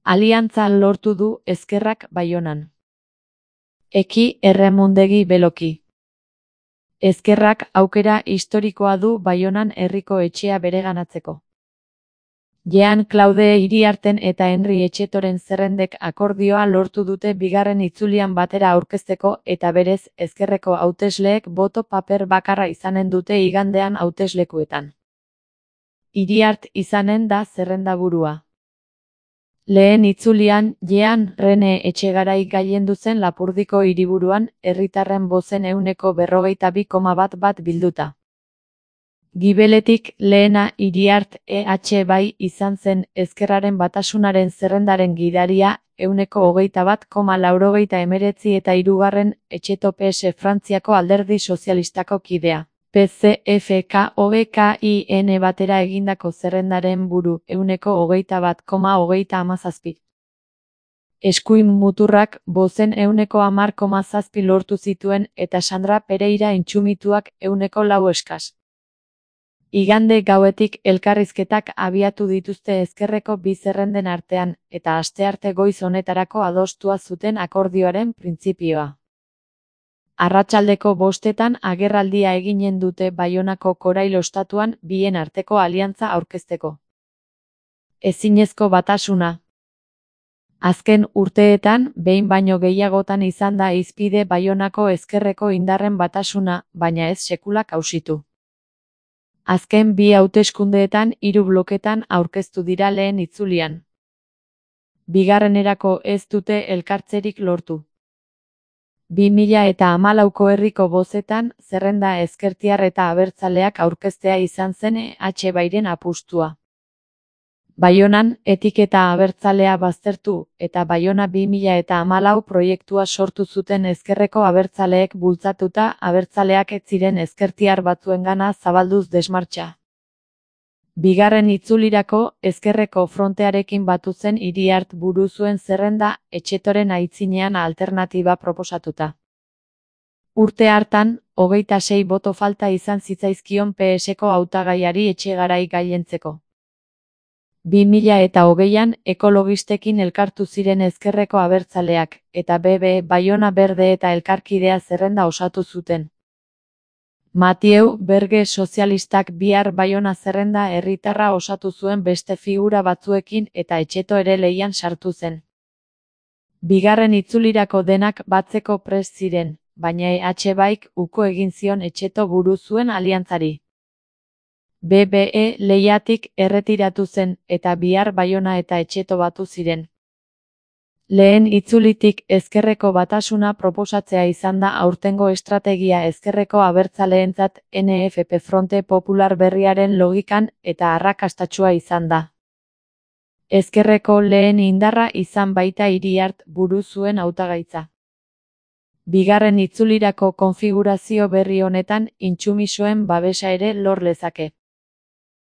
Aliantza lortu du Ezkerrak Baionan. Eki Erremondegi Beloki. Ezkerrak aukera historikoa du Baionan herriko etxea bereganatzeko. Jean-Claude Iriarten eta Henri Etxetoren zerrendek akordioa lortu dute bigarren itzulian batera aurkezteko eta berez ezkerreko hautesleek boto paper bakarra izanen dute igandean hauteslekuetan. Iriart izanen da zerrendaburua. Lehen itzulian, Jean Rene Etxegarai gailendu zen Lapurdiko hiriburuan, herritarren bozen 42,1 bilduta. Gibeletik lehena Iriart bai izan zen Ezkerraren Batasunaren zerrendaren gidaria 21,89 eta hirugarren Etxeto PS Frantziako Alderdi Sozialistako kidea. PCFKOBKIN batera egindako zerrendaren buru 21,17. Eskuin muturrak bozen 10,7 lortu zituen eta Sandra Pereira Intxumituak 4 eskas. Igande gauetik elkarrizketak abiatu dituzte ezkerreko bi zerrenden artean, eta astearte goiz honetarako adostua zuten akordioaren printzipioa. Arratsaldeko 5etan agerraldia eginen dute Baionako Korail ostatuan bien arteko aliantza aurkezteko. Ezinezko batasuna. Azken urteetan, behin baino gehiagotan izan da hizpide Baionako ezkerreko indarren batasuna, baina ez sekula kausitu. Azken bi hauteskundeetan 3 bloketan aurkeztu dira lehen itzulian. Bigarrenerako ez dute elkartzerik lortu. 2014ko herriko bozetan, zerrenda ezkertiar eta abertzaleak aurkeztea izan zen bairen apustua. Baionan, etiketa abertzalea baztertu, eta Baiona 2014 proiektua sortu zuten ezkerreko abertzaleek bultzatuta abertzaleak ez ziren ezkertiar batzuengana zabalduz desmartxa. Bigarren itzulirako, ezkerreko frontearekin batu zen Iriart buru zuen zerrenda, Etxetoren aitzinean alternatiba proposatuta. Urte hartan, 26 boto falta izan zitzaizkion PSko hautagaiari Etxegarai gailentzeko. 2020an ekologistekin elkartu ziren ezkerreko abertzaleak, eta Baiona Berde eta Elkarkidea zerrenda osatu zuten. Mathieu Berge sozialistak bihar Baiona zerrenda herritarra osatu zuen beste figura batzuekin eta Etxeto ere lehian sartu zen. Bigarren itzulirako denak batzeko prest ziren, baina baik uko egin zion Etxeto buru zuen aliantzari. BBE lehiatik erretiratu zen, eta bihar Baiona eta Etxeto batu ziren. Lehen itzulitik ezkerreko batasuna proposatzea izan da aurtengo estrategia ezkerreko abertzaleentzat NFP Fronte Popular berriaren logikan eta arrakastatsua izan da. Ezkerreko lehen indarra izan baita Iriart buru zuen hautagaitza. Bigarren itzulirako konfigurazio berri honetan Intxumisoen babesa ere lor lezake.